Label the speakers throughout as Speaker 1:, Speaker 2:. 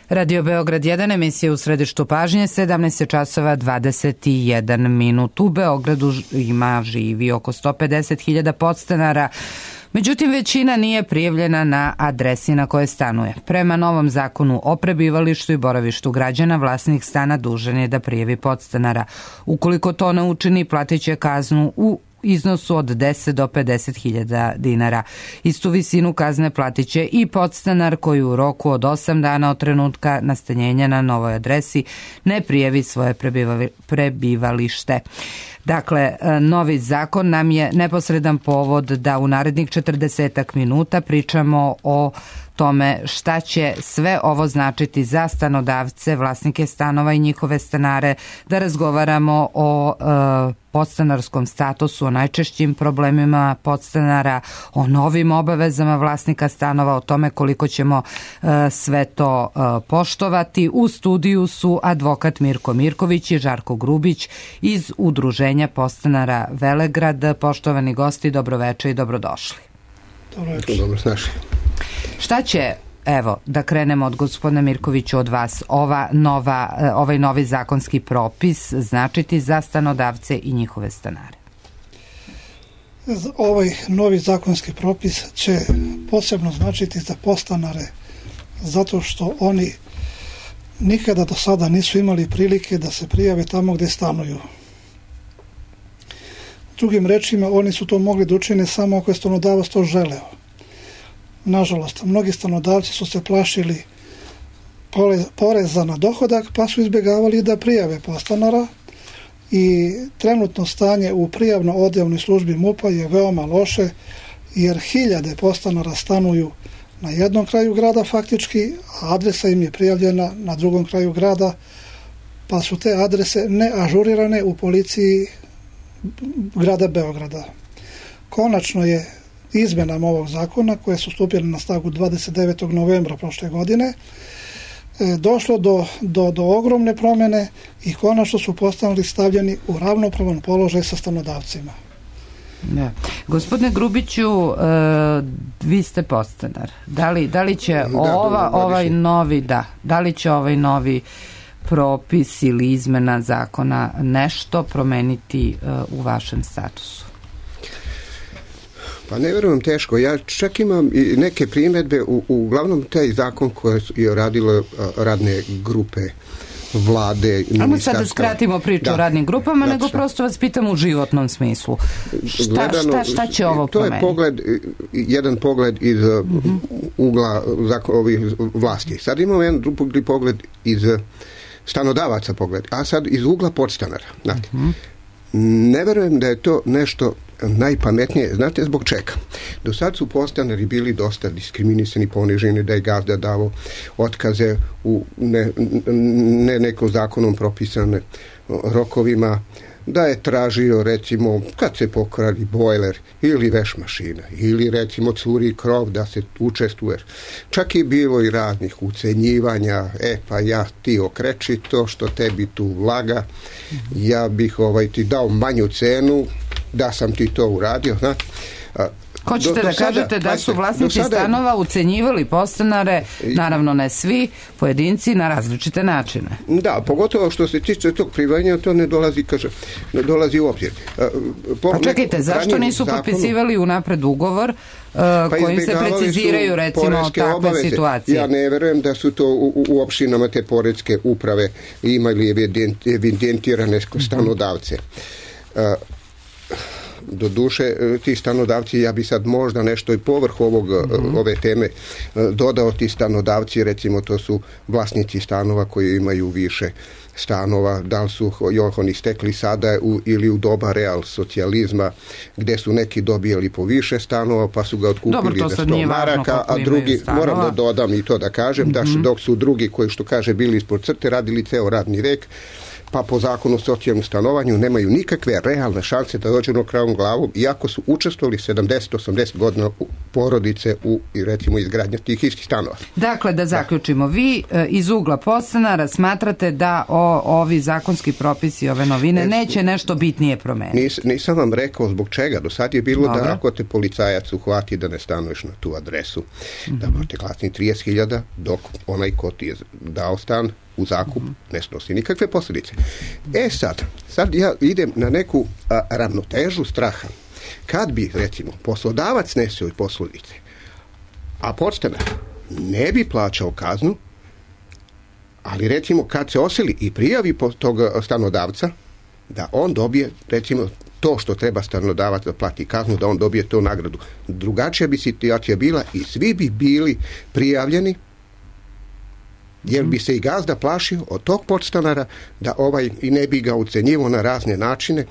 Speaker 1: Radio Beograd 1, emisija u središtu pažnje, 17 časova 21 minut. U Beogradu živi oko 150.000 podstanara, međutim većina nije prijavljena na adresi na kojoj stanuje. Prema novom zakonu o prebivalištu i boravištu građana, vlasnik stana dužan je da prijavi podstanara. Ukoliko to ne učini, platit će kaznu u iznosu od 10 do 50.000 dinara. Istu visinu kazne platit će i podstanar koji u roku od 8 dana od trenutka nastanjenja na novoj adresi ne prijavi svoje prebivalište. Dakle, novi zakon nam je neposredan povod da u narednih 40 minuta pričamo o tome šta će sve ovo značiti za stanodavce, vlasnike stanova i njihove stanare, da razgovaramo o podstanarskom statusu, o najčešćim problemima podstanara, o novim obavezama vlasnika stanova, o tome koliko ćemo sve to poštovati. U studiju su advokat Mirko Mirković i Žarko Grubić iz Udruženja podstanara Velegrad. Poštovani gosti, dobroveče i dobrodošli.
Speaker 2: Dobrodošli.
Speaker 1: Šta će, evo, da krenemo od gospodina Mirkovića, od vas, ovaj novi zakonski propis značiti za stanodavce i njihove stanare?
Speaker 3: Ovaj novi zakonski propis će posebno značiti za podstanare, zato što oni nikada do sada nisu imali prilike da se prijave tamo gde stanuju. Drugim rečima, oni su to mogli da učine samo ako je stanodavac to želeo. Nažalost, mnogi stanodavci su se plašili poreza na dohodak, pa su izbjegavali da prijave podstanara i trenutno stanje u prijavno-odjavnoj službi MUP-a je veoma loše, jer hiljade podstanara stanuju na jednom kraju grada faktički, a adresa im je prijavljena na drugom kraju grada, pa su te adrese neažurirane u policiji grada Beograda. Konačno je izmenama ovog zakona, koje su stupile na snagu 29. novembra prošle godine, došlo do ogromne promjene i konačno su postanuli stavljeni u ravnopravan položaj sa stanodavcima.
Speaker 1: Da. Gospodine Grubiću, vi ste podstanar. Da li će ovaj novi propis ili izmena zakona nešto promeniti u vašem statusu?
Speaker 2: Pa ne verujem, teško. Ja čak imam i neke primjedbe, uglavnom taj zakon koje je radilo radne grupe vlade.
Speaker 1: Ajmo sad da skratimo priču o radnim grupama, nego prosto vas pitam u životnom smislu. Šta će ovo promeniti?
Speaker 2: To je jedan pogled iz ugla ovih vlasti. Sad imamo jedan drugi pogled iz stanodavaca pogled, a sad iz ugla podstanara. Znate. Ne verujem da je to nešto najpametnije. Znate zbog čega? Do sad su podstanari bili dosta diskriminisani, poniženi, da je gazda davo otkaze u nekom zakonom propisane rokovima, da je tražio, recimo, kad se pokradi bojler ili veš mašina, ili recimo curi krov, da se učestvuje. Čak je bilo i raznih ucenjivanja, pa ja ti okreči to što tebi tu vlaga, ja bih ti dao manju cenu da sam ti to uradio. Znate,
Speaker 1: hoćete da kažete da su vlasnici stanova ucenjivali podstanare, naravno ne svi, pojedinci, na različite načine.
Speaker 2: Da, pogotovo što se tiče tog privajanja, to ne dolazi u obzir.
Speaker 1: Pa čekajte, zašto nisu potpisivali unapred ugovor kojim se preciziraju recimo takve situacije?
Speaker 2: Ja ne verujem da su to u opštinama te poreske uprave imali evidentirane stanodavce. Do duše, ti stanodavci, ja bi sad možda nešto i povrh ove teme dodao, ti stanodavci, recimo to su vlasnici stanova koji imaju više stanova, da li su oni stekli sada ili u doba real socijalizma, gde su neki dobijali po više stanova, pa su ga otkupili za 100 maraka, a drugi, moram da dodam i to da kažem, da dok su drugi koji, što kaže, bili ispod crte, radili ceo radni vek, pa po zakonu o socijalnom stanovanju nemaju nikakve realne šanse da dođu na kravom glavom, iako su učestvovali 70-80 godina u porodice u, recimo, izgradnji tih istih stanova.
Speaker 1: Dakle, da zaključimo, vi iz ugla podstanara smatrate da ovi zakonski propisi, ove novine, neće nešto bitnije promeniti?
Speaker 2: Nisam vam rekao zbog čega. Do sad je bilo da ako te policajac uhvati da ne stanuješ na tu adresu, da možete platiti 30.000, dok onaj ko ti je dao stan u zakup ne snosi nikakve posljedice. Sad ja idem na neku ravnotežu straha. Kad bi, recimo, poslodavac nesio i posljedice, a podstanar ne bi plaćao kaznu, ali recimo kad se osili i prijavi tog stanodavca, da on dobije, recimo, to što treba stanodavac da plati kaznu, da on dobije tu nagradu. Drugačija bi situacija bila i svi bi bili prijavljeni, jer bi se i gazda plašio od tog podstanara da i ne bi ga ucenjivo na razne načine.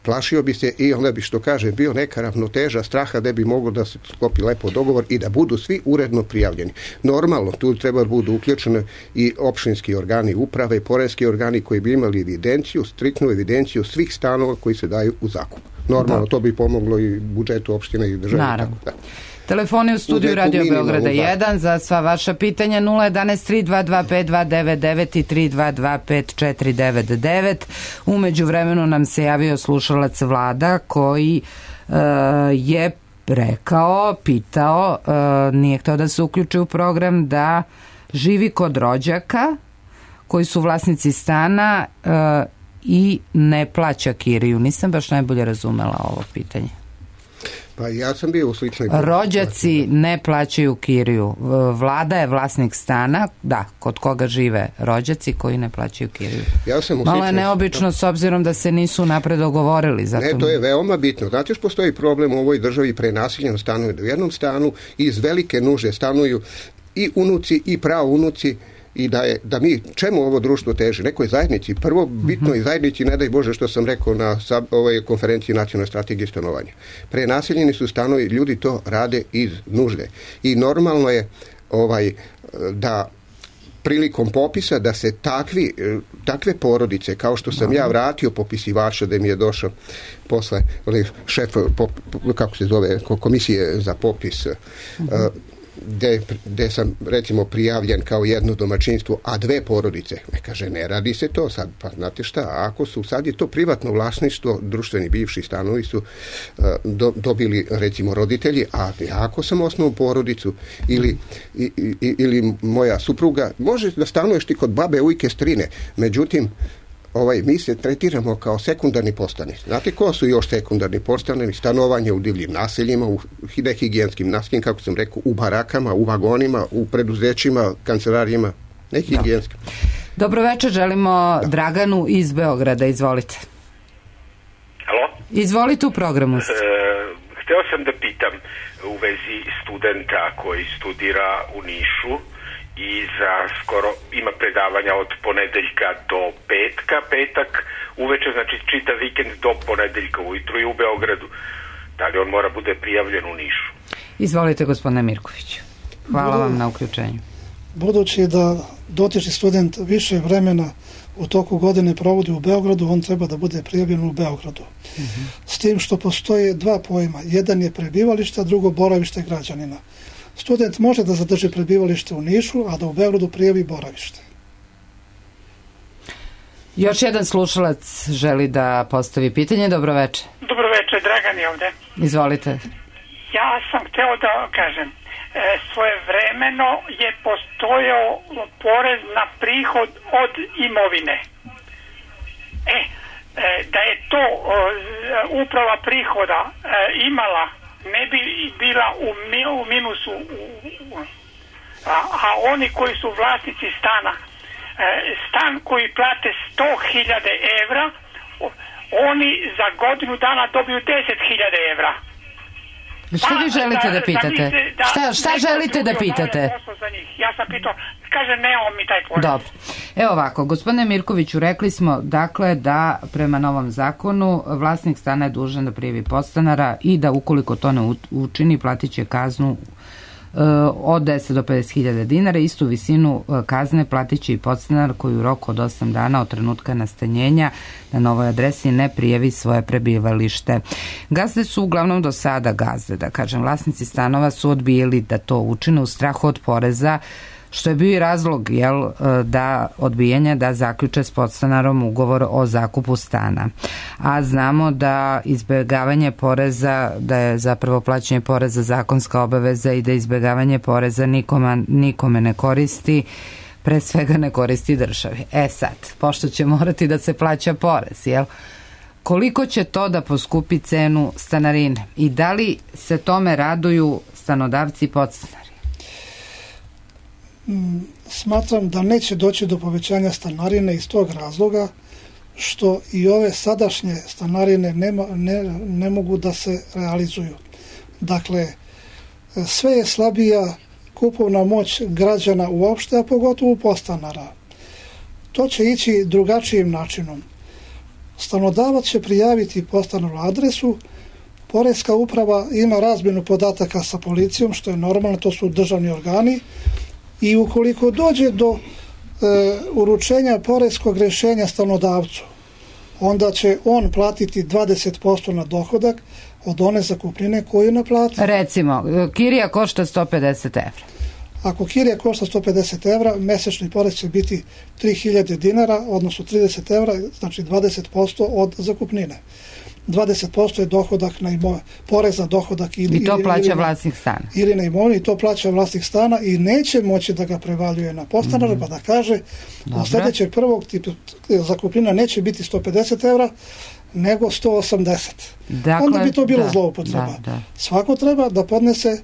Speaker 2: Plašio bi se i onda bi, što kaže, bio neka ravnoteža straha da bi moglo da se sklopi lepo dogovor i da budu svi uredno prijavljeni. Normalno, tu treba da budu uključene i opštinski organi uprave i poreski organi koji bi imali evidenciju, striktnu evidenciju svih stanova koji se daju u zakup. Normalno, to bi pomoglo i budžetu opštine i države.
Speaker 1: Naravno. Telefoni u studiju Radio Beograda 1 za sva vaša pitanja 011 3225 299 i 3225 499. Umeđu vremenu nam se javio slušalac Vlada koji je pitao, nije htio da se uključi u program, da živi kod rođaka koji su vlasnici stana i ne plaća kiriju. Nisam baš najbolje razumela ovo pitanje.
Speaker 2: Pa ja sam bio u sličnoj...
Speaker 1: Rođaci ne plaćaju kiriju. Vlada je vlasnik stana, kod koga žive rođaci koji ne plaćaju kiriju. Malo je neobično s obzirom da se nisu napred dogovorili.
Speaker 2: Ne, to je veoma bitno. Znate što postoji problem u ovoj državi prenasiljen stanuju. U jednom stanu iz velike nužde stanuju i unuci i praunuci, i da mi, čemu ovo društvo teži? Nekoj zajednici. Prvo, bitno i zajednici, ne daj Bože što sam rekao na ovoj konferenciji nacionalne strategije stanovanja. Prenaseljeni su stanovi, ljudi to rade iz nužde. I normalno je da prilikom popisa da se takve porodice, kao što sam ja vratio popisivača, da mi je došao posle šef, kako se zove, komisije za popis, gde sam, recimo, prijavljen kao jedno domaćinstvo, a 2 porodice. Kaže, ne radi se to sad. Pa znate šta, ako su, sad je to privatno vlasništvo, društveni bivši stanovi su dobili, recimo, roditelji, a ako sam osnovnu porodicu ili moja supruga, može da stanuješ ti kod babe, ujke, strine. Međutim, mi se tretiramo kao sekundarni podstanari. Znate ko su još sekundarni podstanari? Stanovanje u divljim naseljima, u nehigijenskim naseljima, kako sam rekao, u barakama, u vagonima, u preduzećima, kancelarijima, nehigijenskim.
Speaker 1: Dobro večer, želimo Draganu iz Beograda. Izvolite.
Speaker 4: Halo?
Speaker 1: Izvolite, u programu.
Speaker 4: Hteo sam da pitam u vezi studenta koji studira u Nišu i za skoro ima predavanja od ponedeljka do petka, petak uveče, znači čitav vikend do ponedeljka ujutru i u Beogradu. Da li on mora bude prijavljen u Nišu?
Speaker 1: Izvolite, gospodine Mirkoviću. Hvala vam na uključenju.
Speaker 3: Budući da dotični student više vremena u toku godine provodi u Beogradu, on treba da bude prijavljen u Beogradu. S tim što postoje 2 pojma. Jedan je prebivalište, a drugo boravište građanina. Student može da zadrži prebivalište u Nišu, a da u Beogradu prijavi boravište.
Speaker 1: Još jedan slušalac želi da postavi pitanje. Dobro večer.
Speaker 5: Dobro večer, Dragan je ovde.
Speaker 1: Izvolite.
Speaker 5: Ja sam hteo da kažem, svojevremeno je postojao porez na prihod od imovine. Da je to uprava prihoda imala, ne bi bila u minusu, a oni koji su vlasnici stana, stan koji plate 100.000 evra, oni za godinu dana dobiju 10.000 evra.
Speaker 1: Što vi želite da pitate? Šta želite da pitate?
Speaker 5: Ja sam pitao, kaže nemamo mi taj porez.
Speaker 1: Dobro. Evo ovako, gospodine Mirkoviću, rekli smo dakle da prema novom zakonu vlasnik stana je dužan da prijavi podstanara i da ukoliko to ne učini platit će kaznu od 10 do 50.000 dinara. Istu visinu kazne platit će i podstanar koji u roku od 8 dana od trenutka nastanjenja na novoj adresi ne prijavi svoje prebivalište. Gazde su uglavnom do sada vlasnici stanova su odbijali da to učine u strahu od poreza, što je bio i razlog da odbijanja da zaključe s podstanarom ugovor o zakupu stana. A znamo da izbjegavanje poreza, da je zapravo plaćanje poreza zakonska obaveza i da izbjegavanje poreza nikome ne koristi, pre svega ne koristi državi. Sad, pošto će morati da se plaća porez, koliko će to da poskupi cenu stanarine i da li se tome raduju stanodavci i podstanari?
Speaker 3: Smatram da neće doći do povećanja stanarine iz tog razloga što i ove sadašnje stanarine ne mogu da se realizuju. Dakle, sve je slabija kupovna moć građana uopšte, a pogotovo podstanara. To će ići drugačijim načinom. Stanodavac će prijaviti podstanaru adresu, Poreska uprava ima razmjenu podataka sa policijom, što je normalno, to su državni organi, i ukoliko dođe do uručenja poreskog rješenja stanodavcu, onda će on platiti 20% na dohodak od one zakupnine koju je naplatio.
Speaker 1: Recimo, kirija košta 150 evra.
Speaker 3: Ako kirija košta 150 evra, mesečni porez će biti 3.000 dinara, odnosno 30 evra, znači 20% od zakupnine. 20% je dohodak porez na dohodak
Speaker 1: i to plaća vlasnik stana.
Speaker 3: Ili na imovinu, i to plaća vlasnik stana i neće moći da ga prevaljuje na podstanara, pa da kaže od sljedećeg prvog zakupnina neće biti 150 evra, nego 180. Dakle, onda bi to bilo zloupotreba. Svako treba da podnese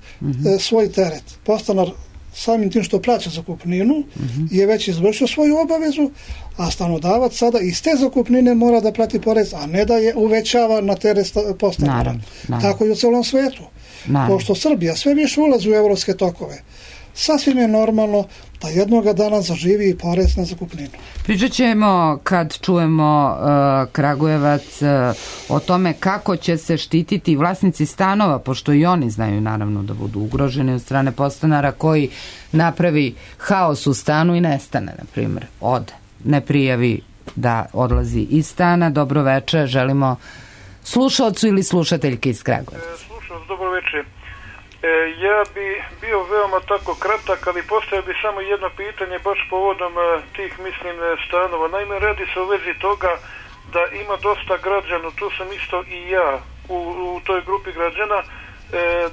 Speaker 3: svoj teret. Podstanar samim tim što plaća zakupninu je već izvršio svoju obavezu, a stanodavac sada iz te zakupnine mora da plati porez, a ne da je uvećava na teret podstanara. Tako i u celom svetu. Pošto Srbija sve više ulazi u evropske tokove, sasvim je normalno da jednoga dana zaživi i porez na zakupninu.
Speaker 1: Pričat ćemo kad čujemo Kragujevac o tome kako će se štititi vlasnici stanova, pošto i oni znaju naravno da budu ugroženi od strane podstanara koji napravi haos u stanu i nestane, na primjer, ne prijavi da odlazi iz stana. Dobro večer, želimo slušalcu ili slušateljke iz Kragujevca.
Speaker 6: Slušalac, dobro večer. Ja bi bio veoma tako kratak, ali postavio bi samo jedno pitanje baš povodom tih, stanova. Naime, radi se o vezi toga da ima dosta građana, tu sam isto i ja u toj grupi građana,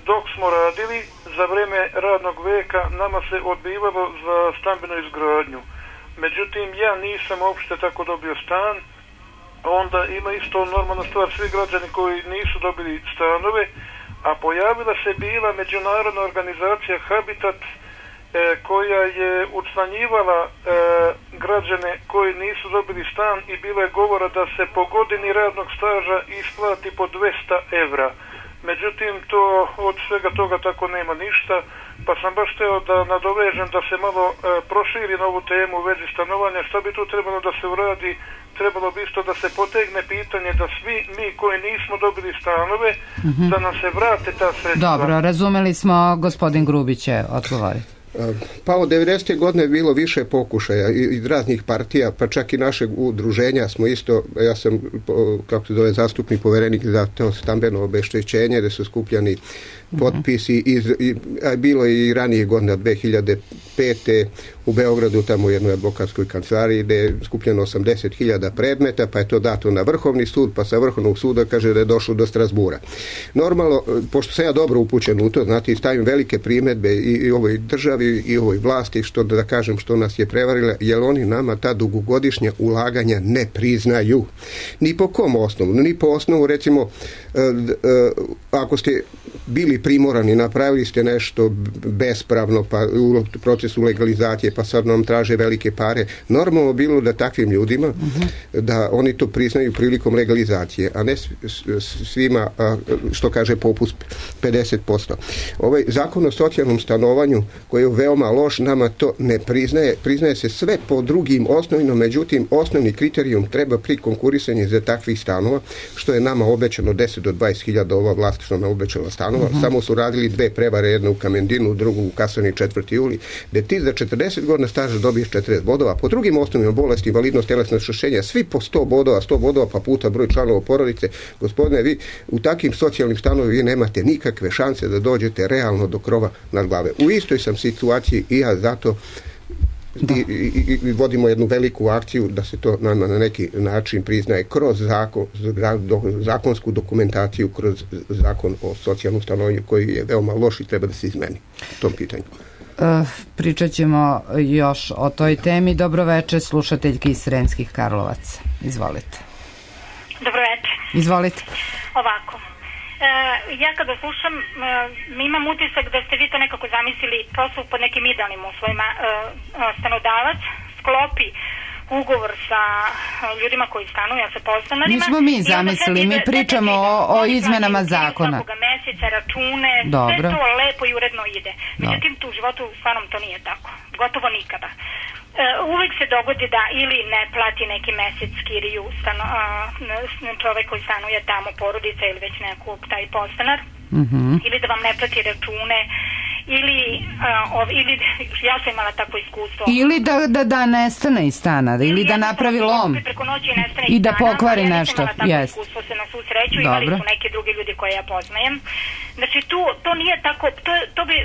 Speaker 6: dok smo radili za vreme radnog veka nama se odbivalo za stambenu izgradnju. Međutim, ja nisam uopšte tako dobio stan, onda ima isto normalna stvar, svi građani koji nisu dobili stanove, a pojavila se bila međunarodna organizacija Habitat koja je učlanjivala građane koji nisu dobili stan i bilo je govora da se po godini radnog staža isplati po 200 evra. Međutim, to od svega toga tako nema ništa, pa sam baš hteo da nadovežem da se malo proširi na ovu temu u vezi stanovanja. Šta bi tu trebalo da se uradi? Trebalo bi isto da se potegne pitanje da svi mi koji nismo dobili stanove, da nam se vrate ta sredstva.
Speaker 1: Dobro, razumeli smo, gospodin Grubić će odgovoriti.
Speaker 2: Pa od 90. godine je bilo više pokušaja iz raznih partija, pa čak i našeg udruženja smo isto, ja sam, kako se zove, zastupni poverenik za to stambeno obeštećenje, da su skupljani potpisi, bilo je i ranije godine, 2005. u Beogradu, tamo u jednoj advokatskoj kancelariji, gde je skupljeno 80.000 predmeta, pa je to dato na Vrhovni sud, pa sa Vrhovnog suda kaže da je došlo do Strasbura. Normalno, pošto sam ja dobro upućen u to, znate, stavim velike primedbe i ovoj državi i ovoj vlasti, što da kažem, što nas je prevarila, jer oni nama ta dugogodišnja ulaganja ne priznaju. Ni po kom osnovu, ni po osnovu, recimo, ako ste bili primorani, napravili ste nešto bespravno, pa u procesu legalizacije, pa sad nam traže velike pare. Normalno bilo da takvim ljudima, da oni to priznaju prilikom legalizacije, a ne svima, što kaže popust 50%. Ovaj zakon o socijalnom stanovanju, koji je veoma loš, nama to ne priznaje. Priznaje se sve po drugim osnovima, međutim, osnovni kriterijum treba pri konkurisanju za takvih stanova, što je nama obećano 10 do 20.000, ova vlast što nam obećala stanova, stanova, samo su radili 2 prevare, jedna u Kamendinu, drugu u kasarni 4. juli, gde ti za 40 godina staža dobiješ 40 bodova. Po drugim osnovima, bolesti, invalidnost, telesno oštećenja, svi po 100 bodova pa puta broj članova porodice. Gospodine, vi u takvim socijalnim stanovima vi nemate nikakve šanse da dođete realno do krova nad glave. U istoj sam situaciji i ja zato i vodimo jednu veliku akciju da se to na neki način priznaje kroz zakonsku dokumentaciju, kroz zakon o socijalnom stanovanju koji je veoma loš i treba da se izmeni u tom pitanju.
Speaker 1: Pričat ćemo još o toj temi. Dobroveče, slušateljki iz Sremskih Karlovaca. Izvolite.
Speaker 7: Dobroveče.
Speaker 1: Izvolite.
Speaker 7: Ovako. Ja kada slušam, imam utisak da ste vi to nekako zamislili prosto pod nekim idealnim uslovima. Stanodavac sklopi ugovor sa ljudima koji stanuju, sa podstanarima.
Speaker 1: Nismo mi zamislili, mi pričamo o izmenama zakona.
Speaker 7: Svakoga meseca, račune,
Speaker 1: dobro.
Speaker 7: Sve to lepo i uredno ide. Međutim, tu u životu stvarno to nije tako. Gotovo nikada. Uvek se dogodi da ili ne plati neki mesec kiriju čovek koji stanuje tamo, porodica ili već nekog taj podstanar, ili da vam ne plati račune, ili ja sam imala takvo iskustvo.
Speaker 1: Ili da nestane iz stana, ili da napravi lom i da pokvari nešto.
Speaker 7: Ja sam imala takvo iskustvo se na svu sreću, imali su neke drugi ljudi koje ja poznajem. Znači to nije tako,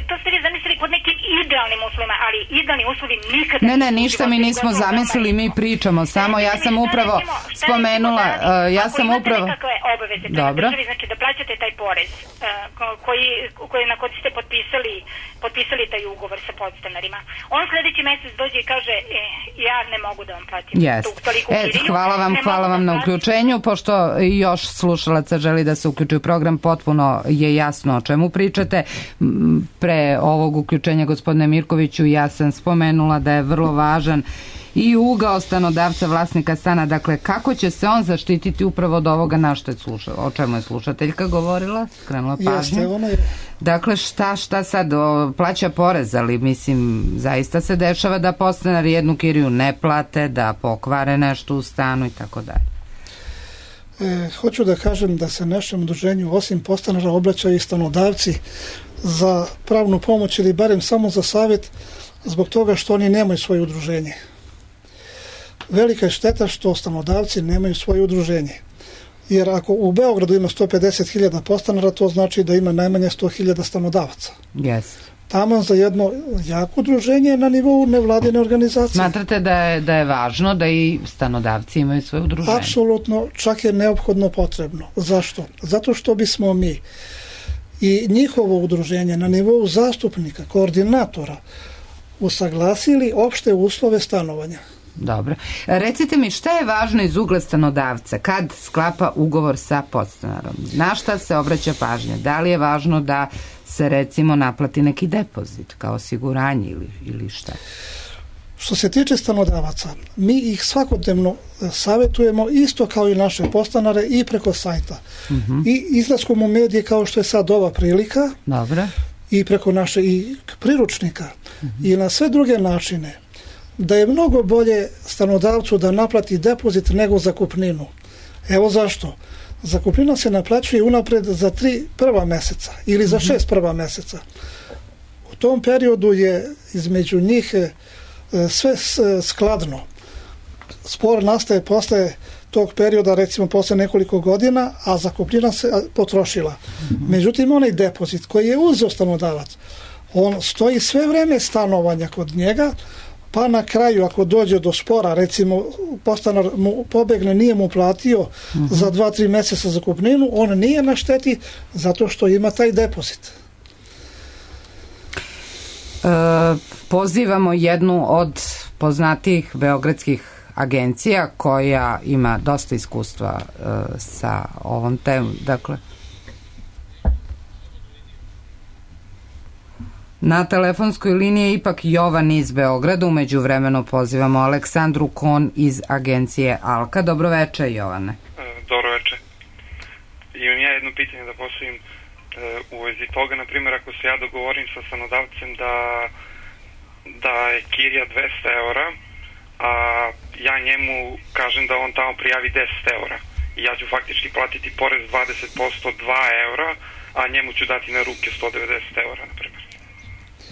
Speaker 7: to ste vi zamislili pod nekim idealnim uslovima, ali idealni uslovi nikada...
Speaker 1: Ne, ništa mi nismo zamislili, mi pričamo samo, ja sam upravo spomenula,
Speaker 7: Ako imate nekakve obaveze prema državi, znači da plaćate taj porez na koji ste potpisali taj ugovor sa podstanarima. On sledeći mesec dođe i kaže ja ne mogu da vam platim toliko kiriju.
Speaker 1: Hvala vam na uključenju, pošto još slušalaca želi da se uključi u program, potpuno je jasno o čemu pričate. Pre ovog uključenja, gospodine Mirkoviću, ja sam spomenula da je vrlo važan i ugao stanodavca, vlasnika stana, dakle kako će se on zaštititi upravo od ovoga na što je o čemu je slušateljka govorila, skrenula pažnju. Dakle, šta sad plaća porez, ali mislim zaista se dešava da podstanari jednu kiriju ne plate, da pokvare nešto u stanu i tako dalje.
Speaker 3: Hoću da kažem da se našem udruženju osim podstanara obraćaju i stanodavci za pravnu pomoć ili barem samo za savjet zbog toga što oni nemaju svoje udruženje. Velika je šteta što stanodavci nemaju svoje udruženje. Jer ako u Beogradu ima 150.000 podstanara, to znači da ima najmanje 100.000 stanodavaca.
Speaker 1: Yes.
Speaker 3: Taman za jedno jako udruženje na nivou nevladine organizacije.
Speaker 1: Smatrate da je važno da i stanodavci imaju svoje udruženje?
Speaker 3: Apsolutno, čak je neophodno potrebno. Zašto? Zato što bismo mi i njihovo udruženje na nivou zastupnika, koordinatora, usaglasili opšte uslove stanovanja.
Speaker 1: Dobro. Recite mi, šta je važno iz ugla stanodavca kad sklapa ugovor sa podstanarom? Na šta se obraća pažnja? Da li je važno da se recimo naplati neki depozit kao osiguranje ili šta?
Speaker 3: Što se tiče stanodavaca, mi ih svakodnevno savjetujemo isto kao i naše podstanare i preko sajta. I izlaskom u medije kao što je sad ova prilika.
Speaker 1: Dobro.
Speaker 3: I preko naše i priručnika i na sve druge načine. Da je mnogo bolje stanodavcu da naplati depozit nego zakupninu. Evo zašto. Zakupnina se naplaćuje unapred za 3 prva meseca ili za 6 prva meseca. U tom periodu je između njih sve skladno. Spor nastaje posle tog perioda, recimo posle nekoliko godina, a zakupnina se potrošila. Međutim, onaj depozit koji je uzeo stanodavac, on stoji sve vreme stanovanja kod njega, pa na kraju ako dođe do spora, recimo podstanar mu pobegne, nije mu platio za 2-3 meseca zakupninu, on nije na šteti zato što ima taj depozit.
Speaker 1: Pozivamo jednu od poznatijih beogradskih agencija koja ima dosta iskustva sa ovom temom. Dakle, na telefonskoj liniji je ipak Jovan iz Beograda. Umeđu vremenu pozivamo Aleksandru Kon iz agencije Alka. Dobroveče, Jovane.
Speaker 8: Dobroveče. Imam ja jedno pitanje da postavim u vezi toga. Naprimjer, ako se ja dogovorim sa stanodavcem da je kirija 200 eura, a ja njemu kažem da on tamo prijavi 10 eura i ja ću faktički platiti porez 20% 2 eura, a njemu ću dati na ruke 190 eura, na primjer.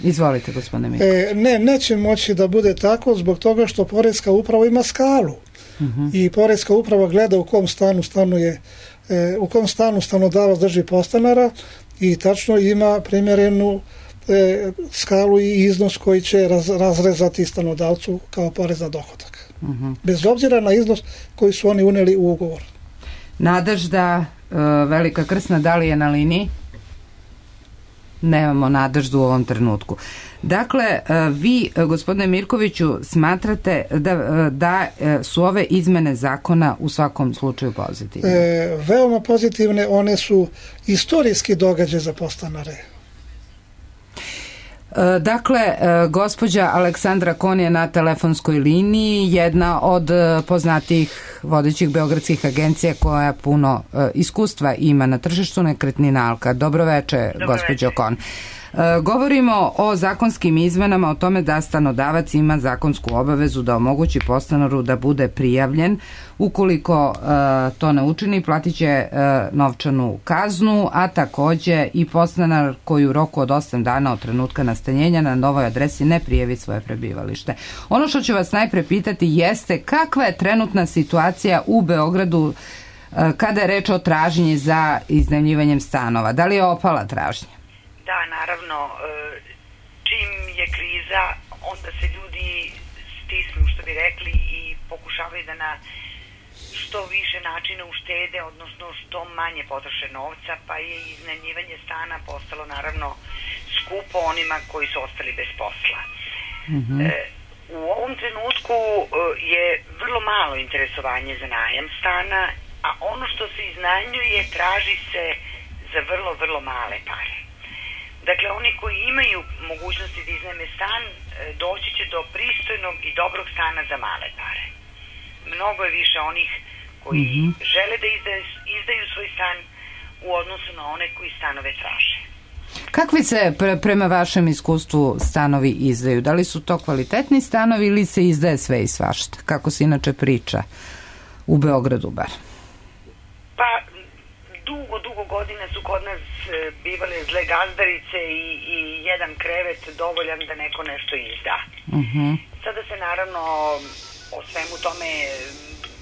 Speaker 1: Izvolite, gospodine Miković.
Speaker 3: Neće moći da bude tako zbog toga što Poreska uprava ima skalu. I Poreska uprava gleda u kom stanu stanuje, u kom stanu stanodavac drži podstanara i tačno ima primjerenu skalu i iznos koji će razrezati stanodavcu kao porez na dohodak. Bez obzira na iznos koji su oni uneli u ugovor.
Speaker 1: Nadežda Velika Krsna, da li je na liniji? Nemamo Nadeždu u ovom trenutku. Dakle, vi, gospodine Mirkoviću, smatrate da su ove izmene zakona u svakom slučaju pozitivne?
Speaker 3: Veoma pozitivne, one su istorijski događaj za podstanare.
Speaker 1: Dakle, gospođa Aleksandra Kon je na telefonskoj liniji, jedna od poznatijih vodećih beogradskih agencija koja puno iskustva ima na tržištu nekretnina. Alka, dobro veče, gospođo Kon. Govorimo o zakonskim izmenama, o tome da stanodavac ima zakonsku obavezu da omogući podstanaru da bude prijavljen. Ukoliko to ne učini, platit će novčanu kaznu, a takođe i podstanar koji u roku od 8 dana od trenutka nastanjenja na novoj adresi ne prijavi svoje prebivalište. Ono što ću vas najpre pitati jeste kakva je trenutna situacija u Beogradu kada je reč o tražnji za iznajmljivanjem stanova. Da li je opala tražnja?
Speaker 9: Da, naravno, čim je kriza, onda se ljudi stisnu, što bi rekli, i pokušavaju da na što više načina uštede, odnosno što manje potroše novca, pa je iznajmljivanje stana postalo naravno skupo onima koji su ostali bez posla. U ovom trenutku je vrlo malo interesovanje za najam stana, a ono što se iznajmljuje traži se za vrlo, vrlo male pare. Dakle, oni koji imaju mogućnosti da iznajme stan, doći će do pristojnog i dobrog stana za male pare. Mnogo je više onih koji žele da izdaju svoj stan u odnosu na one koji stanove traže.
Speaker 1: Kakvi se prema vašem iskustvu stanovi izdaju? Da li su to kvalitetni stanovi ili se izdaje sve i svašta? Kako se inače priča u Beogradu bar?
Speaker 9: Pa, dugo godina su kod nas bivale zle gazdarice i jedan krevet dovoljan da neko nešto izda. Sada se naravno o svemu tome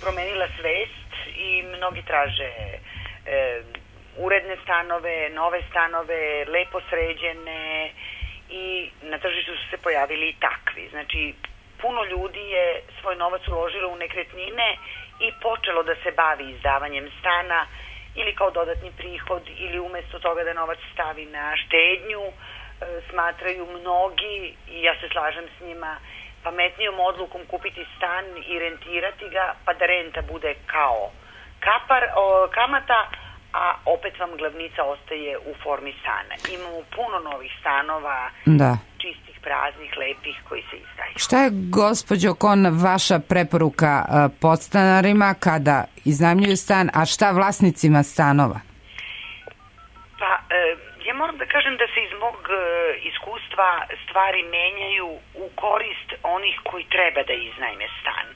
Speaker 9: promenila svest i mnogi traže uredne stanove, nove stanove, lepo sređene i na tržištu su se pojavili i takvi. Znači, puno ljudi je svoj novac uložilo u nekretnine i počelo da se bavi izdavanjem stana ili kao dodatni prihod ili umesto toga da novac stavi na štednju, smatraju mnogi, i ja se slažem s njima, pametnijom odlukom kupiti stan i rentirati ga, pa da renta bude kao kamata, a opet vam glavnica ostaje u formi stana. Imamo puno novih stanova, čistih, praznih, lepih, koji se izdaju.
Speaker 1: Šta je, gospođo Kon, vaša preporuka podstanarima kada iznajmljuju stan, a šta vlasnicima stanova?
Speaker 9: Pa, ja moram da kažem da se iz mog iskustva stvari menjaju u korist onih koji treba da iznajme stan.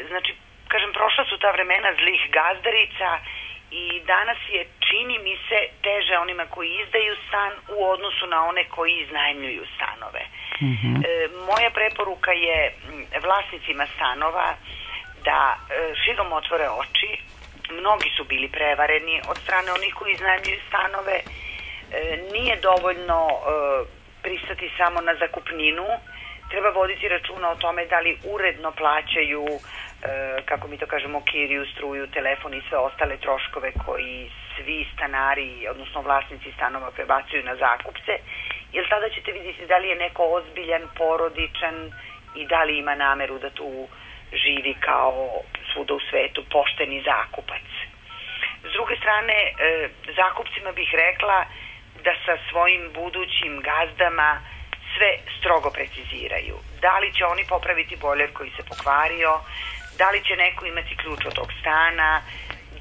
Speaker 9: Znači, kažem, prošla su ta vremena zlih gazdarica i danas je, čini mi se, teže onima koji izdaju stan u odnosu na one koji iznajmljuju stanove. Moja preporuka je vlasnicima stanova da širom otvore oči. Mnogi su bili prevareni od strane onih koji iznajmljuju stanove. Nije dovoljno pristati samo na zakupninu. Treba voditi računa o tome da li uredno plaćaju, kako mi to kažemo, kiriju, struju, telefon i sve ostale troškove koji svi stanari, odnosno vlasnici stanova, prebacuju na zakupce, jer tada ćete vidjeti da li je neko ozbiljan, porodičan i da li ima nameru da tu živi kao svuda u svetu pošteni zakupac. S druge strane, zakupcima bih rekla da sa svojim budućim gazdama sve strogo preciziraju. Da li će oni popraviti bojler koji se pokvario, da li će neko imati ključ od tog stana,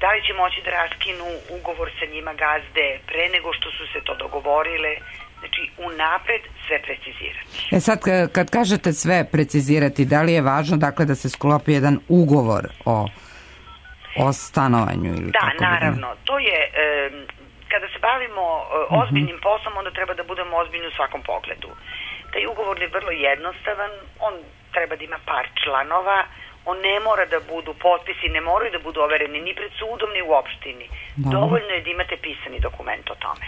Speaker 9: da li će moći da raskinu ugovor sa njima gazde pre nego što su se to dogovorile. Znači, unapred sve precizirati.
Speaker 1: Sad, kad kažete sve precizirati, da li je važno, dakle, da se sklopi jedan ugovor o stanovanju? Ili
Speaker 9: da, naravno. To je, kada se bavimo ozbiljnim poslom, onda treba da budemo ozbiljni u svakom pogledu. Taj ugovor je vrlo jednostavan, on treba da ima par članova, on ne mora da budu potpisi, ne moraju da budu overeni ni pred sudom, ni u opštini. Dovoljno je da imate pisani dokument o tome.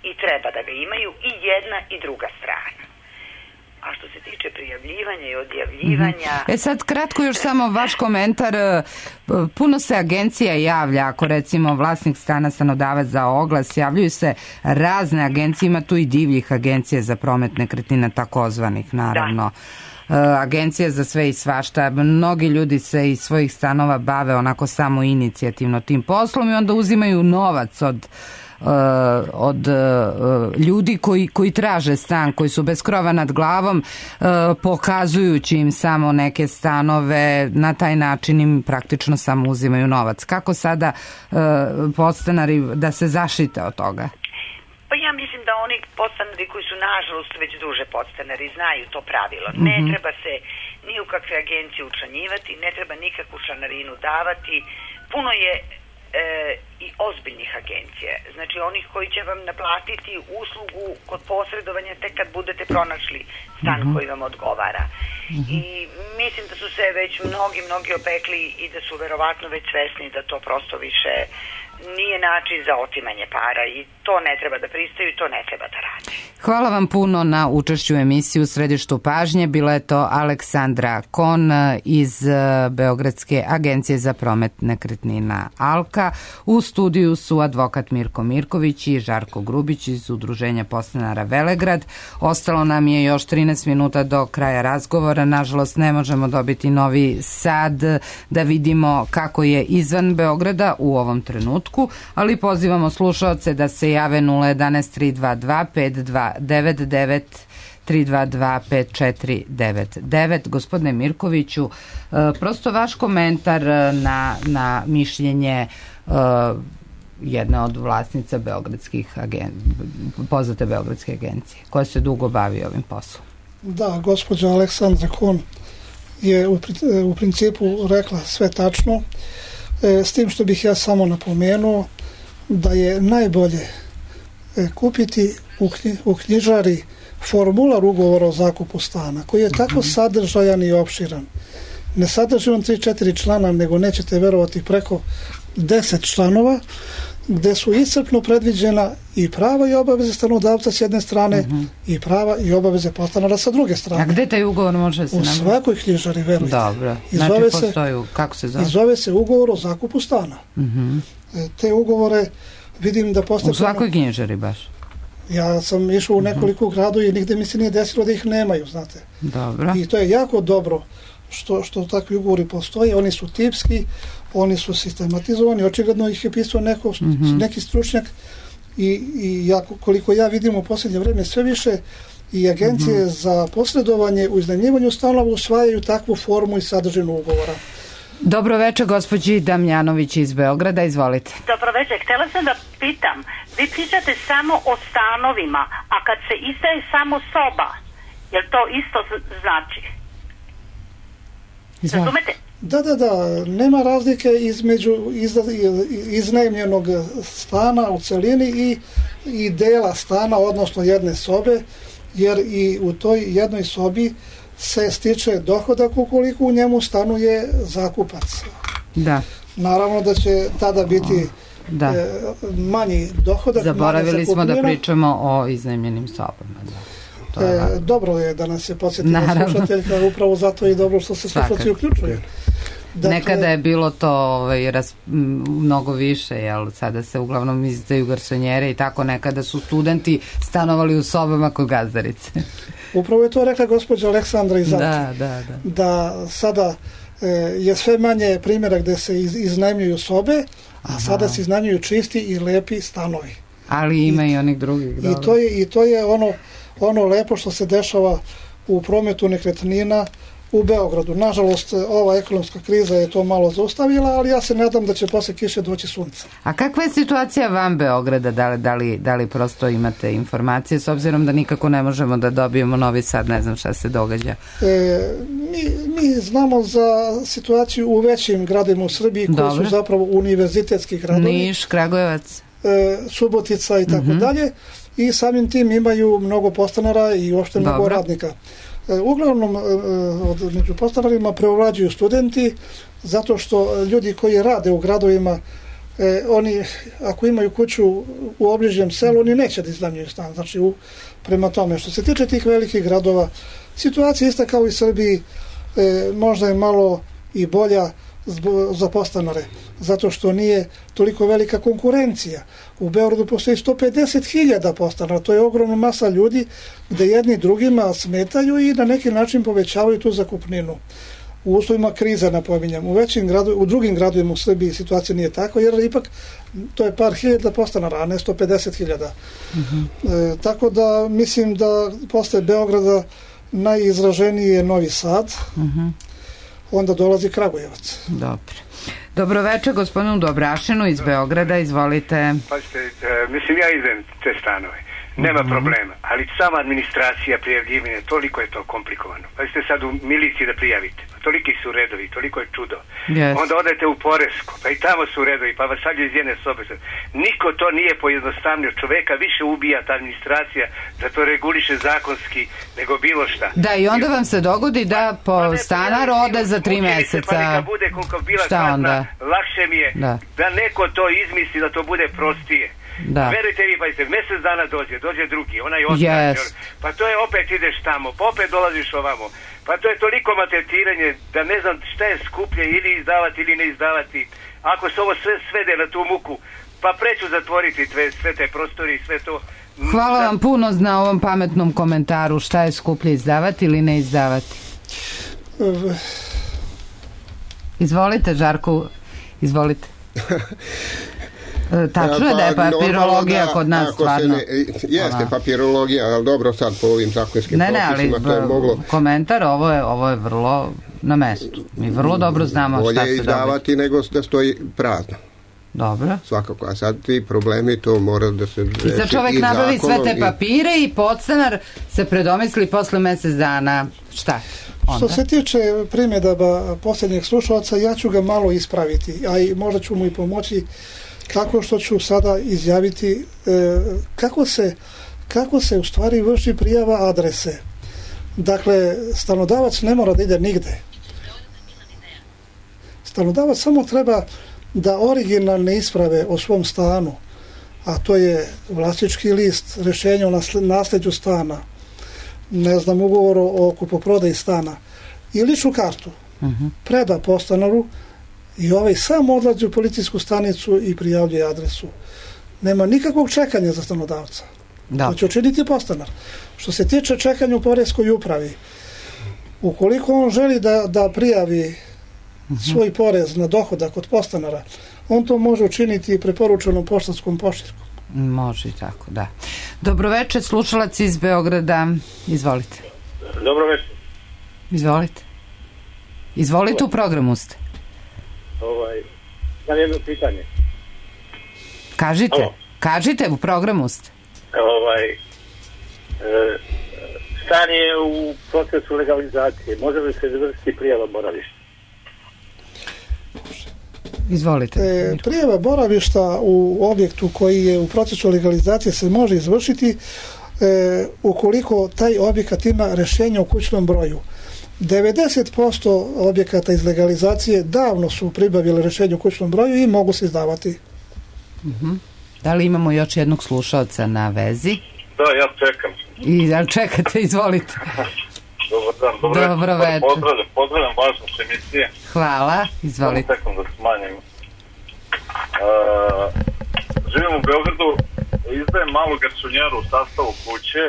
Speaker 9: I treba da ga imaju i jedna i druga strana. A što se tiče prijavljivanja i odjavljivanja...
Speaker 1: Sad kratko još samo vaš komentar. Puno se agencija javlja, ako recimo vlasnik stana, stanodavac za oglas, javljaju se razne agencije, ima tu i divljih agencija za promet nekretnina, takozvanih naravno. Agencija za sve i svašta. Mnogi ljudi se iz svojih stanova bave onako samo inicijativno tim poslom i onda uzimaju novac od ljudi koji traže stan, koji su bez krova nad glavom, pokazujući im samo neke stanove, na taj način im praktično samo uzimaju novac. Kako sada podstanari da se zaštite od toga?
Speaker 9: Pa ja mislim da oni podstanari koji su nažalost već duže podstanari znaju to pravilo. Ne treba se ni u kakve agencije učlanjivati, ne treba nikakvu članarinu davati. Puno je i ozbiljnih agencija. Znači onih koji će vam naplatiti uslugu kod posredovanja tek kad budete pronašli stan koji vam odgovara. I mislim da su se već mnogi opekli i da su verovatno već svesni da to prosto više nije način za otimanje para i to ne treba da pristaju i to ne treba da radi.
Speaker 1: Hvala vam puno na učešću u emisiji U središtu pažnje. Bila je to Aleksandra Kon iz Beogradske agencije za promet nekretnina Alka. U studiju su advokat Mirko Mirković i Žarko Grubić iz Udruženja podstanara Velegrad. Ostalo nam je još 13 minuta do kraja razgovora. Nažalost, ne možemo dobiti Novi Sad da vidimo kako je izvan Beograda u ovom trenutku, ali pozivamo slušaoce da se jave 011 322 5299 322 5499. Gospodine Mirkoviću, prosto vaš komentar na mišljenje jedne od vlasnica poznate beogradske agencije, koja se dugo bavi ovim poslom.
Speaker 3: Da, gospođa Aleksandra Kon je u principu rekla sve tačno, s tim što bih ja samo napomenuo da je najbolje kupiti u knjižari formular ugovora o zakupu stana, koji je tako sadržajan i opširan. Ne sadrži on 3-4 člana, nego nećete verovati preko 10 članova, gde su iscrpno predviđena i prava i obaveze stanodavca s jedne strane i prava i obaveze podstanara sa druge strane.
Speaker 1: A gde taj ugovor može se napraviti?
Speaker 3: U svakoj knjižari, verujte.
Speaker 1: Dobro, znači postoji, kako se zove?
Speaker 3: I zove se ugovor o zakupu stana. Te ugovore vidim da postoje...
Speaker 1: U svakoj knjižari baš?
Speaker 3: Ja sam išao u nekoliko gradu i nigde mi se nije desilo da ih nemaju, znate.
Speaker 1: Dobro.
Speaker 3: I to je jako dobro što takvi ugovori postoje. Oni su tipski, oni su sistematizovani, očigledno ih je pisao neki stručnjak i koliko ja vidim u posljednje vreme sve više i agencije za posredovanje u iznajmljivanju stanova usvajaju takvu formu i sadržinu ugovora.
Speaker 1: Dobro večer, gospođi Damjanović iz Beograda, izvolite.
Speaker 10: Dobro večer, htjela sam da pitam, vi pričate samo o stanovima, a kad se izdaje samo soba, jel to isto znači? Razumete?
Speaker 3: Da, nema razlike između iznajmljenog stana u celini i dela stana, odnosno jedne sobe, jer i u toj jednoj sobi se stiče dohodak ukoliko u njemu stanuje zakupac.
Speaker 1: Da.
Speaker 3: Naravno da će tada biti manji dohodak.
Speaker 1: Zaboravili smo da pričamo o iznajmljenim sobama.
Speaker 3: Dobro je da nas je podsjetila slušateljka, upravo zato je dobro što se slušalci uključuju.
Speaker 1: Dakle, nekada je bilo to mnogo više, jel? Sada se uglavnom izdaju garsonjere i tako, nekada su studenti stanovali u sobama kod gazdarice.
Speaker 3: Upravo je to rekla gospođa Aleksandra iz Alke. Da sada je sve manje primjera gde se iznajmljuju sobe, a sada se iznajmljuju čisti i lepi stanovi.
Speaker 1: Ali ima i onih drugih.
Speaker 3: I to je ono lepo što se dešava u prometu nekretnina u Beogradu. Nažalost, ova ekonomska kriza je to malo zaustavila, ali ja se nadam da će posle kiše doći sunce.
Speaker 1: A kakva je situacija van Beograda? Da li prosto imate informacije, s obzirom da nikako ne možemo da dobijemo Novi Sad, ne znam šta se događa?
Speaker 3: Mi znamo za situaciju u većim gradovima u Srbiji koji su zapravo univerzitetski gradovi.
Speaker 1: Niš, Kragujevac?
Speaker 3: Subotica i tako dalje, i samim tim imaju mnogo podstanara i uopšte mnogo radnika. Uglavnom među podstanarima preovlađuju studenti, zato što ljudi koji rade u gradovima, oni ako imaju kuću u obližnjem selu, oni neće da iznajmljuju stan. Znači, prema tome, što se tiče tih velikih gradova, situacija ista kao i Srbiji, možda je malo i bolja za podstanare, zato što nije toliko velika konkurencija. U Beogradu postoji 150.000 podstanara, to je ogromna masa ljudi gde jedni drugima smetaju i na neki način povećavaju tu zakupninu. U uslovima krize, napominjem, u drugim gradovima u Srbiji situacija nije tako, jer ipak to je par hiljada podstanara, a ne 150.000. Tako da mislim da posle Beograda najizraženiji je Novi Sad, onda dolazi Kragujevac.
Speaker 1: Dobro večer gospodinu Dobrašinu iz Beograda, izvolite.
Speaker 11: Mislim, ja idem te stanove, nema problema, ali sama administracija prijavljivanja, toliko je to komplikovano. Pa ste sad u miliciji da prijavite, toliki su redovi, toliko je čudo. Onda odete u Poresko, pa i tamo su redovi, pa vas šalju iz jedne sobe. Niko to nije pojednostavnio, čoveka više ubija ta administracija da to reguliše zakonski nego bilo šta.
Speaker 1: Da, i onda vam se dogodi da podstanar ode za 3 meseca.
Speaker 11: Pa neka bude koliko bila kazna, lakše mi je da neko to izmisli, da to bude prostije. Verujte vi, mjesec dana dođe drugi, onaj ostaje, pa to je opet ideš tamo, pa opet dolaziš ovamo, pa to je toliko maltretiranje da ne znam šta je skuplje, ili izdavati ili ne izdavati. Ako se ovo sve svede na tu muku, pa preću zatvoriti sve te prostori i sve to.
Speaker 1: Hvala vam puno na ovom pametnom komentaru, šta je skuplje, izdavati ili ne izdavati. Izvolite, Žarko, izvolite. Tačno je da je papirologija kod nas stvarno.
Speaker 2: Jeste papirologija, ali dobro sad po ovim zakonskim propisima to je moglo.
Speaker 1: Komentar, ovo je vrlo na mestu. Mi vrlo dobro znamo šta se dobi.
Speaker 2: Bolje izdavati nego da stoji prazno.
Speaker 1: Dobro.
Speaker 2: Svakako, a sad ti problemi to mora da se reši.
Speaker 1: I sad čovek nabavi sve te papire i podstanar se predomisli posle mjesec dana. Šta?
Speaker 3: Što se tiče primjedaba posljednjeg slušalaca, ja ću ga malo ispraviti, a i možda ću mu i pomoći tako što ću sada izjaviti kako se u stvari vrši prijava adrese. Dakle, stanodavac ne mora da ide nigde. Stanodavac samo treba da originalne isprave o svom stanu, a to je vlasnički list, rješenje o nasljeđu stana, ugovor o kupoprodaji stana i ličnu kartu, preda podstanaru i ovaj sam odlazi u policijsku stanicu i prijavljuje adresu. Nema nikakvog čekanja za stanodavca. To će učiniti podstanar. Što se tiče čekanja u poreskoj upravi, ukoliko on želi da prijavi svoj porez na dohodak od podstanara, on to može učiniti preporučenom poštanskom pošiljkom.
Speaker 1: Može i tako, da. Dobroveče, slušalac iz Beograda, izvolite.
Speaker 12: Dobroveče.
Speaker 1: Izvolite, u programu ste.
Speaker 12: Imam jedno pitanje.
Speaker 1: Kažite, u programu ste.
Speaker 12: Stan je u procesu legalizacije, može li se izvršiti prijava boravišta?
Speaker 1: Izvolite.
Speaker 3: Prijava boravišta u objektu koji je u procesu legalizacije se može izvršiti ukoliko taj objekat ima rješenje o kućnom broju. 90% objekata iz legalizacije davno su pribavili rješenje o kućnom broju i mogu se izdavati.
Speaker 1: Da li imamo još jednog slušalca na vezi?
Speaker 12: Da, ja čekam.
Speaker 1: Čekate, izvolite.
Speaker 12: Dobar dan,
Speaker 1: dobro večer.
Speaker 12: Pozdravljam važnost emisije.
Speaker 1: Hvala, izvolite.
Speaker 12: Samo sekund da smanjim. Živim u Beogradu, izdajem malu garsonjeru u sastavu kuće,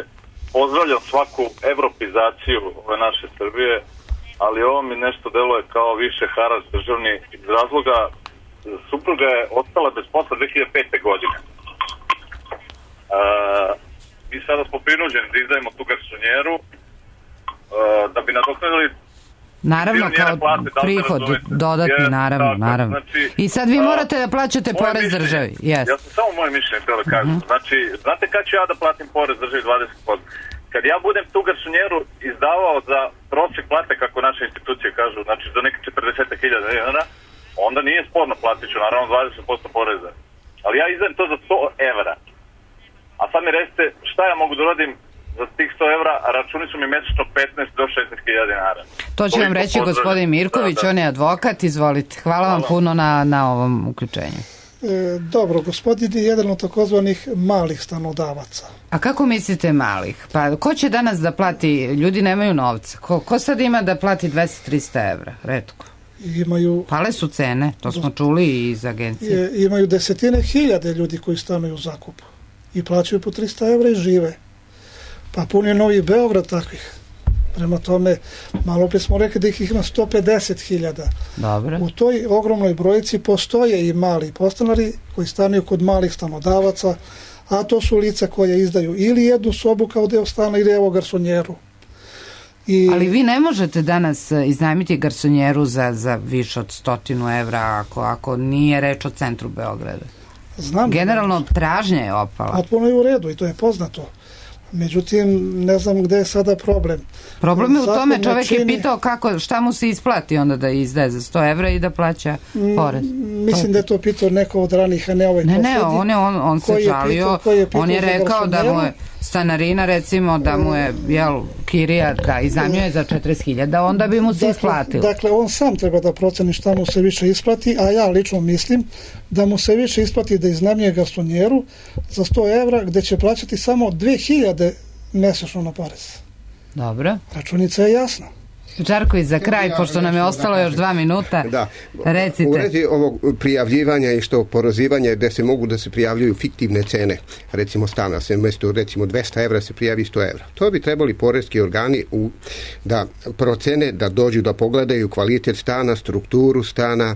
Speaker 12: pozdravljam svaku evropizaciju ove naše Srbije, ali ovo mi nešto deluje kao više harač državni iz razloga supruga je ostala bez posla 2005. godine. Mi sada smo prinuđeni da izdajemo tu garsonjeru da bi nadoknadili
Speaker 1: naravno kao prihod dodatni, naravno. I sad vi morate da plaćate porez državi.
Speaker 12: Ja sam samo moje mišljenje htio da kažem. Znači, znate kad ću ja da platim porez državi 20%? Kad ja budem tu garsonjeru izdavao za prosjek plate, kako naše institucije kažu, znači za neke 40.000 dinara, onda nije sporno, platit ću naravno 20% poreza. ali ja izdajem to za 100 evra. A sad mi recite šta ja mogu da uradim za tih 100 evra, a računi su mi mesečno 15 do 16.000 dinara.
Speaker 1: To će vam reći gospodin Mirković, on je advokat, izvolite. Hvala vam puno na ovom uključenju.
Speaker 3: Dobro, gospodin je jedan od takozvanih malih stanodavaca.
Speaker 1: A kako mislite malih? Pa ko će danas da plati, ljudi nemaju novca, ko sad ima da plati 200-300 evra, retko? Pale su cene, to smo čuli iz agencije.
Speaker 3: Imaju desetine hiljade ljudi koji stanuju u zakupu i plaćaju po 300 evra i žive. Pa pun je Novi Beograd takvih. Prema tome, malo prije smo rekli da ih ima 150.000. U toj ogromnoj brojici postoje i mali podstanari koji stanuju kod malih stanodavaca, a to su lica koja izdaju ili jednu sobu kao deo stana ili evo garsonjeru.
Speaker 1: Ali vi ne možete danas iznajmiti garsonjeru za više od 100 evra ako nije reč o centru Beograda. Generalno tražnja je opala.
Speaker 3: Potpuno je u redu i to je poznato. Međutim, ne znam gde je sada problem.
Speaker 1: Problem je u tome, čovjek je pitao šta mu se isplati onda da izdaje za 100 evra i da plaća porez.
Speaker 3: Mislim da je to pitao neko od ranih, a ne ovaj posljednji.
Speaker 1: Ne, on se žalio, on je rekao da mu je stanarina, recimo, da mu je kirija da iznajmljuje za 40.000, onda bi mu se isplatilo.
Speaker 3: Dakle, on sam treba da proceni šta mu se više isplati, a ja lično mislim da mu se više isplati da iznajmljuje garsonjeru za 100 evra, gde će plaćati samo 2.000 mesečno na porez.
Speaker 1: Dobro.
Speaker 3: Računica je jasna.
Speaker 1: Žarko, i za kraj, pošto nam je ostalo još 2 minuta, recite.
Speaker 2: U redi ovog prijavljivanja i što porozivanja, gde se mogu da se prijavljuju fiktivne cene, recimo stana, se umjesto recimo 200 evra se prijavi 100 evra. To bi trebali poreski organi da procene, da dođu da pogledaju kvalitet stana, strukturu stana,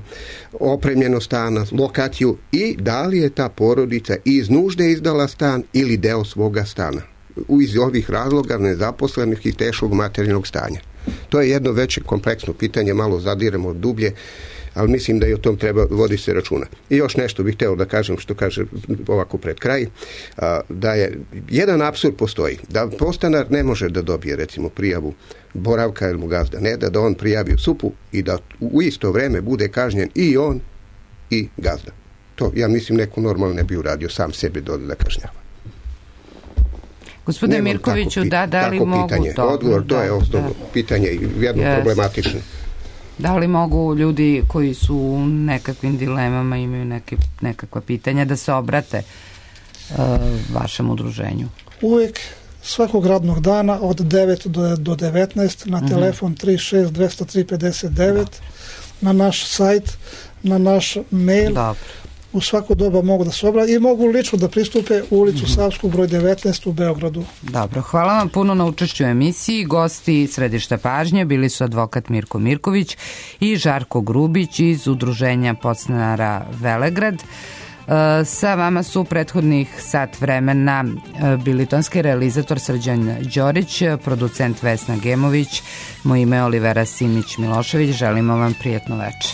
Speaker 2: opremljenost stana, lokaciju i da li je ta porodica iz nužde izdala stan ili deo svoga stana. Iz ovih razloga nezaposlenih i teškog materijalnog stanja. To je jedno veće kompleksno pitanje, malo zadiremo dublje, ali mislim da i o tom treba voditi se računa. I još nešto bih hteo da kažem, što kaže ovako pred kraj, da je jedan apsurd postoji, da podstanar ne može da dobije recimo prijavu boravka ili mu gazda ne da on prijavi u SUP-u i da u isto vreme bude kažnjen i on i gazda. To ja mislim neko normalno ne bi uradio sam sebe da kažnjava.
Speaker 1: Gospodine Mirkoviću, da li mogu
Speaker 2: to? Odgovor, to je osnovno pitanje i jedno problematično.
Speaker 1: Da li mogu ljudi koji su u nekakvim dilemama, imaju nekakva pitanja, da se obrate vašem udruženju?
Speaker 3: Uvijek, svakog radnog dana od 9 do 19 na telefon 36 203 59, na naš sajt, na naš mail.
Speaker 1: Dobro.
Speaker 3: U svako doba mogu da se obrate i mogu lično da pristupe u ulicu Savsku broj 19 u Beogradu.
Speaker 1: Dobro, hvala vam puno na učešću u emisiji. Gosti Središta pažnje bili su advokat Mirko Mirković i Žarko Grubić iz Udruženja podstanara Velegrad. Sa vama su prethodnih sat vremena bili tonski realizator Srđan Đorić, producent Vesna Gemović, moje ime je Olivera Simić Milošević. Želimo vam prijatno večer.